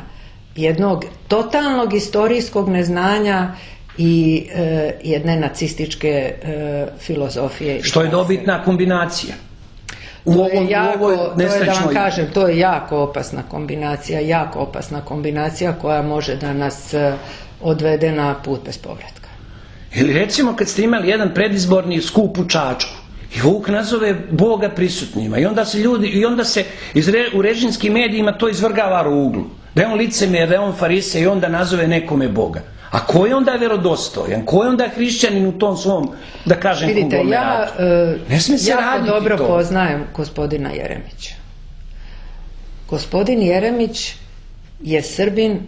jednog totalnog istorijskog neznanja i e, jedne nacističke e, filozofije. Što je dobitna kombinacija. U to, je ovom, jako, u ovoj nesrećnoj... to je da vam kažem, to je jako opasna kombinacija, jako opasna kombinacija koja može da nas odvede na put bez povratka. Ili recimo kad ste imali jedan predizborni skup u Čačku i Vuk nazove Boga prisutnima i onda se ljudi, i onda se iz re, u režimskim medijima to izvrgava ruglu. Da je on licemjer, da je on farise i onda nazove nekome Boga. A ko je onda verodostojan? Ko je onda hrišćanin u tom svom, da kažem, vidite, konglomeratu? Ja, ne smije se jako raditi dobro to. Poznajem gospodina Jeremića. Gospodin Jeremić je Srbin,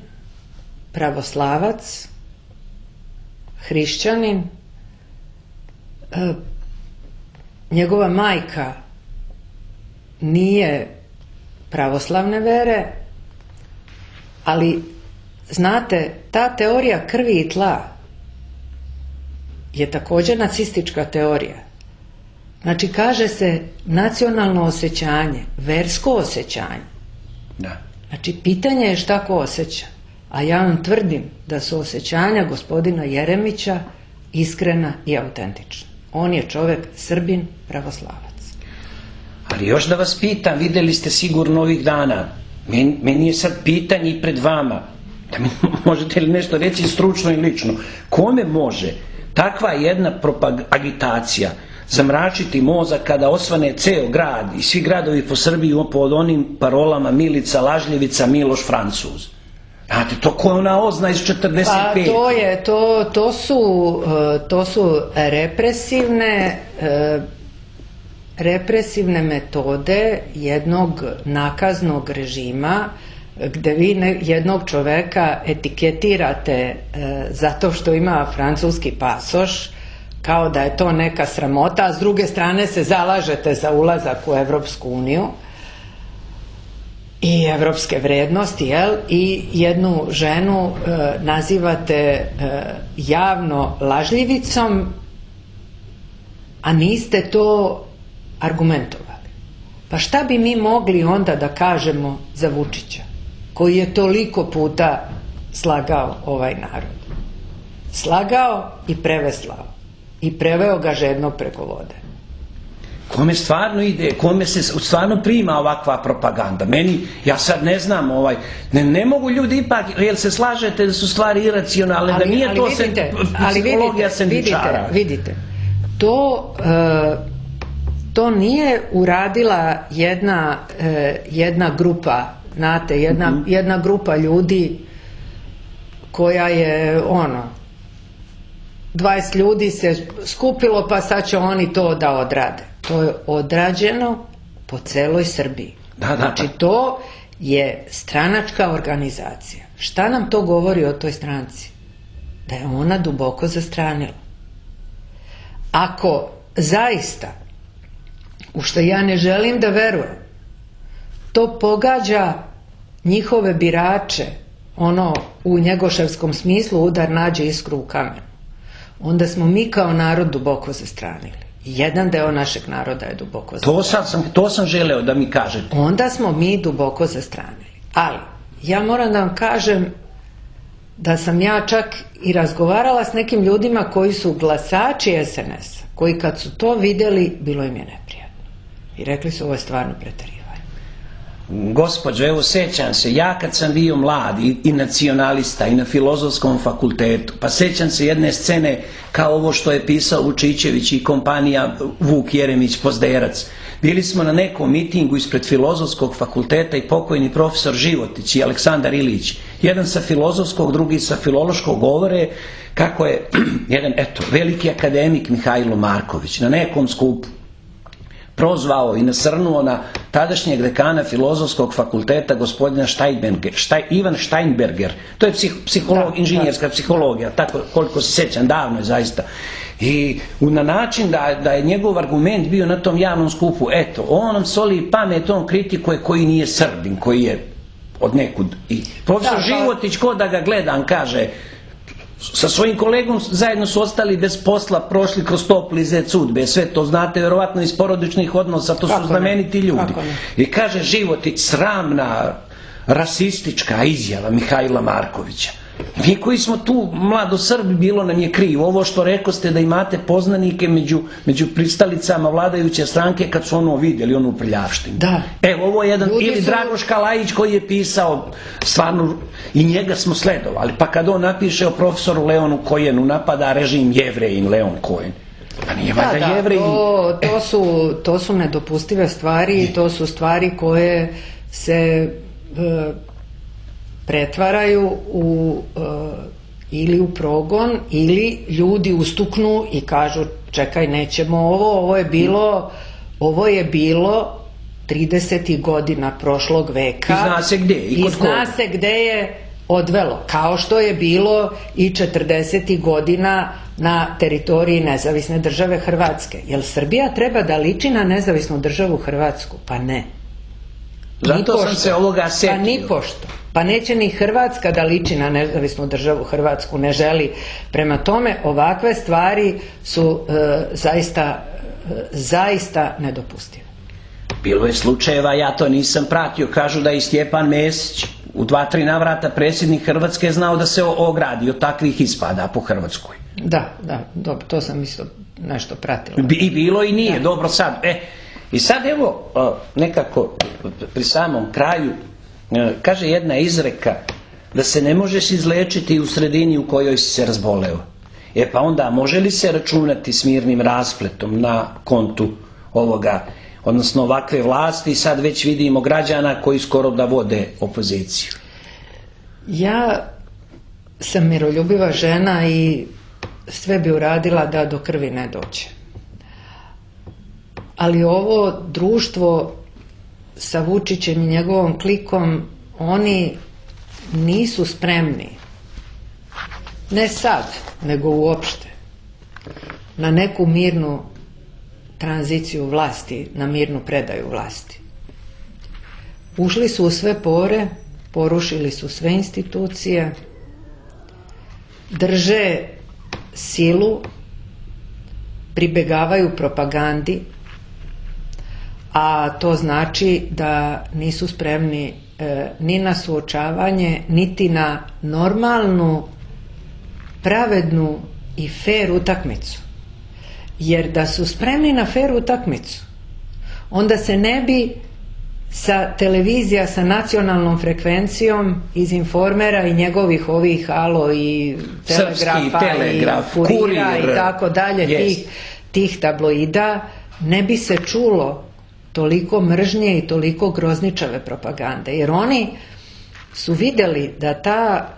pravoslavac, hrišćanin. E, njegova majka nije pravoslavne vere, ali znate, ta teorija krvi i tla je također nacistička teorija. Znači, kaže se nacionalno osjećanje, versko osjećanje. Da. Znači, pitanje je šta ko osjeća. A ja vam tvrdim da su osjećanja gospodina Jeremića iskrena i autentična. On je čovjek Srbin, pravoslavac. Ali još da vas pitam, vidjeli ste sigurno ovih dana, meni, meni je sad pitanje i pred vama, da mi možete li nešto reći stručno i lično, kome može takva jedna agitacija zamračiti mozak kada osvane ceo grad i svi gradovi po Srbiji pod onim parolama Milica Lažljevica, Miloš Francuz? Znate, to ko je ona ozna iz četrdeset pete. Pa to je, to, to su, to su represivne, represivne metode jednog nakaznog režima gde vi ne, jednog čoveka etiketirate e, zato što ima francuski pasoš kao da je to neka sramota, a s druge strane se zalažete za ulazak u Evropsku uniju i evropske vrednosti, jel? I jednu ženu e, nazivate e, javno lažljivicom, a niste to argumentovali. Pa šta bi mi mogli onda da kažemo za Vučića, koji je toliko puta slagao ovaj narod? Slagao i preveslao. I preveo ga žednog preko vode. Kome stvarno ide, kome se stvarno prima ovakva propaganda? Meni, ja sad ne znam, ovaj, ne, ne mogu ljudi ipak, jel se slažete da su stvari iracionalne, ali, da nije ali to vidite, sen, psihologija sendičara? Vidite, vidite, to, e, to nije uradila jedna, e, jedna grupa, znate, jedna, mm-hmm. jedna grupa ljudi koja je, ono, dvadeset ljudi se skupilo pa sad će oni to da odrade. To je odrađeno po celoj Srbiji. Da, da, znači to je stranačka organizacija. Šta nam to govori o toj stranci? Da je ona duboko zastranila. Ako zaista, u što ja ne želim da verujem, to pogađa njihove birače, ono u njegoševskom smislu udar nađe iskru u kamenu, onda smo mi kao narod duboko zastranili. Jedan deo našeg naroda je duboko zastranili. To sam, to sam želeo da mi kažete. Onda smo mi duboko zastranili. Ali, ja moram da vam kažem da sam ja čak i razgovarala s nekim ljudima koji su glasači es en es-a, koji kad su to vidjeli, bilo im je neprijatno. I rekli su, ovo je stvarno preterivanje. Gospođo, evo sećam se, ja kad sam bio mlad i, i nacionalista i na filozofskom fakultetu, pa sećam se jedne scene kao ovo što je pisao Vučićević i kompanija Vuk Jeremić Pozderac. Bili smo na nekom mitingu ispred filozofskog fakulteta i pokojni profesor Životić i Aleksandar Ilić, jedan sa filozofskog, drugi sa filološkog, govore kako je jedan, eto, veliki akademik Mihajlo Marković na nekom skupu prozvao i nasrnuo na tadašnjeg dekana filozofskog fakulteta gospodina Steinberger, Štaj, Ivan Steinberger. To je psih, psiholog, inženjerska psihologija, tako koliko se sjećam, davno je zaista. I na način da, da je njegov argument bio na tom javnom skupu, eto, on nam soli pamet, on kritikuje koji nije Srbin, koji je od nekud. I profesor da, Životić, ko da ga gledam, kaže, sa svojim kolegom zajedno su ostali bez posla, prošli kroz topli zec sudbe, sve to znate verovatno iz porodičnih odnosa, to su znameniti ljudi. I kaže Životić, sramna rasistička izjava Mihajla Markovića. Mi koji smo tu mlado Srbi, bilo nam je krivo. Ovo što rekoste da imate poznanike među, među pristalicama vladajuće stranke kad su ono vidjeli, onu prljavštinu. Da. Evo, ovo je jedan, Ljudi ili su... Dragoš Kalajić koji je pisao, stvarno, i njega smo sledovali. Pa kad on napiše o profesoru Leonu Kojenu, napada režim Jevrejin Leon Kojen. Pa nije valjda da, da, Jevrejin. To, to, su, to su nedopustive stvari, to su stvari koje se... E, pretvaraju u e, ili u progon ili ljudi ustuknu i kažu čekaj nećemo ovo, ovo je bilo ovo je bilo tridesetih godina prošlog veka i zna se gdje i, i zna se gdje je odvelo, kao što je bilo i četrdesetih godina na teritoriji nezavisne države Hrvatske. Jel Srbija treba da liči na nezavisnu državu Hrvatsku? Pa ne. Zato sam se ovoga setio. Pa ni pošto. Pa neće ni Hrvatska da liči na nezavisnu državu Hrvatsku, ne želi. Prema tome, ovakve stvari su e, zaista, e, zaista nedopustive. Bilo je slučajeva, ja to nisam pratio, kažu da je i Stjepan Mesić u dva, tri navrata predsjednik Hrvatske znao da se ogradi od takvih ispada po Hrvatskoj. Da, da, dobro, to sam isto nešto pratila. I bilo i nije, da. Dobro sad. E, i sad evo, nekako pri samom kraju, kaže jedna izreka da se ne možeš izlečiti u sredini u kojoj si se razboleo. E pa onda može li se računati s mirnim raspletom na kontu ovoga, odnosno ovakve vlasti, sad već vidimo građana koji skoro da vode opoziciju? Ja sam miroljubiva žena i sve bi uradila da do krvi ne dođe. Ali ovo društvo sa Vučićem i njegovom klikom, oni nisu spremni, ne sad, nego uopšte, na neku mirnu tranziciju vlasti, na mirnu predaju vlasti. Ušli su u sve pore, porušili su sve institucije, drže silu, pribegavaju propagandi, a to znači da nisu spremni e, ni na suočavanje, niti na normalnu, pravednu i fer utakmicu. Jer da su spremni na fer utakmicu, onda se ne bi sa televizija sa nacionalnom frekvencijom iz Informera i njegovih ovih Alo i Telegrafa telegraf, i Kurira kurir, i tako dalje, yes. tih, tih tabloida, ne bi se čulo toliko mržnje i toliko grozničave propagande. Jer oni su vidjeli da ta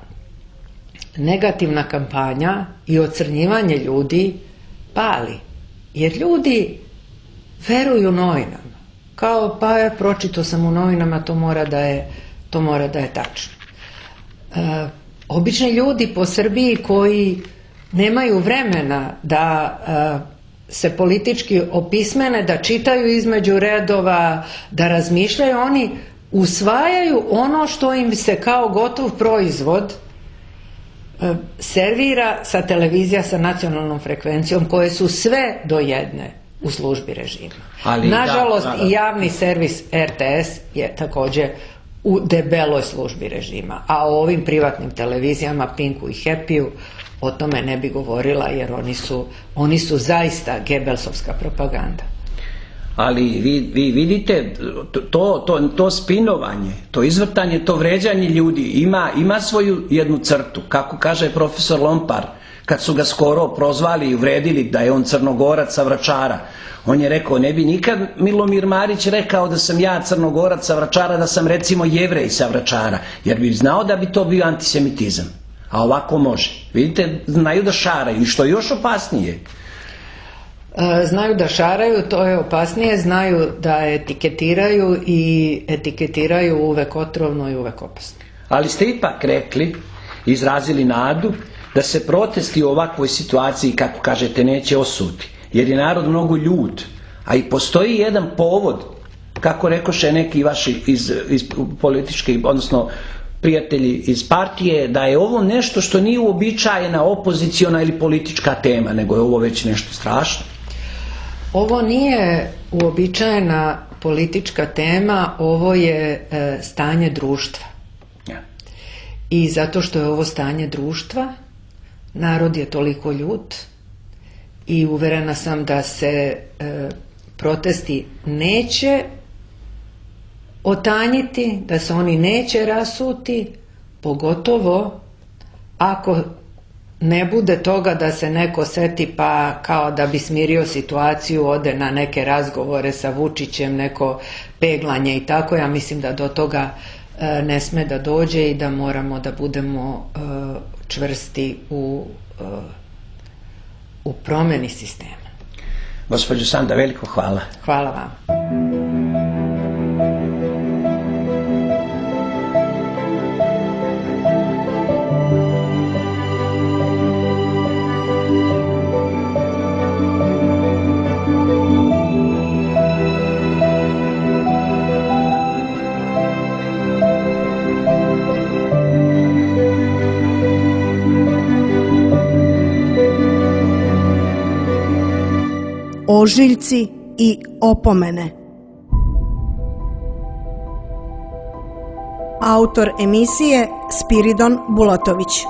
negativna kampanja i ocrnjivanje ljudi pali. Jer ljudi veruju novinama. Kao pa je, pročitao sam u novinama, to mora da je, to mora da je tačno. E, obični ljudi po Srbiji koji nemaju vremena da e, se politički opismene, da čitaju između redova, da razmišljaju, oni usvajaju ono što im se kao gotov proizvod e, servira sa televizija sa nacionalnom frekvencijom, koje su sve do jedne u službi režima. Ali, nažalost, da, da, da. I javni servis R T S je također u debeloj službi režima. A o ovim privatnim televizijama, Pinku i Happy-u, o tome ne bi govorila, jer oni su, oni su zaista gebelsovska propaganda. Ali vi, vi vidite, to, to, to spinovanje, to izvrtanje, to vređanje ljudi ima, ima svoju jednu crtu. Kako kaže profesor Lompar, kad su ga skoro prozvali i uvredili da je on Crnogorac sa Vračara, on je rekao, ne bi nikad Milomir Marić rekao da sam ja Crnogorac sa Vračara, da sam recimo Jevrej sa Vračara, jer bi znao da bi to bio antisemitizam. A ovako može. Vidite, znaju da šaraju. I što je još opasnije? Znaju da šaraju, to je opasnije. Znaju da etiketiraju i etiketiraju uvek otrovno i uvek opasno. Ali ste ipak rekli, izrazili nadu da se protesti u ovakvoj situaciji, kako kažete, neće osuti, jer je narod mnogo ljut, a i postoji jedan povod, kako rekoše neki vaši iz, iz političke, odnosno prijatelji iz partije, da je ovo nešto što nije uobičajena opoziciona ili politička tema, nego je ovo već nešto strašno. Ovo nije uobičajena politička tema, ovo je e, stanje društva. Ja. I zato što je ovo stanje društva, narod je toliko ljut i uverena sam da se e, protesti neće otanjiti, da se oni neće rasuti, pogotovo ako ne bude toga da se neko seti pa kao da bi smirio situaciju, ode na neke razgovore sa Vučićem, neko peglanje i tako. Ja mislim da do toga e, ne sme da dođe i da moramo da budemo e, čvrsti u, e, u promeni sistema. Gospođo Sanda, veliko hvala. Hvala vam. Ožiljci i opomene. Autor emisije Spiridon Bulatović.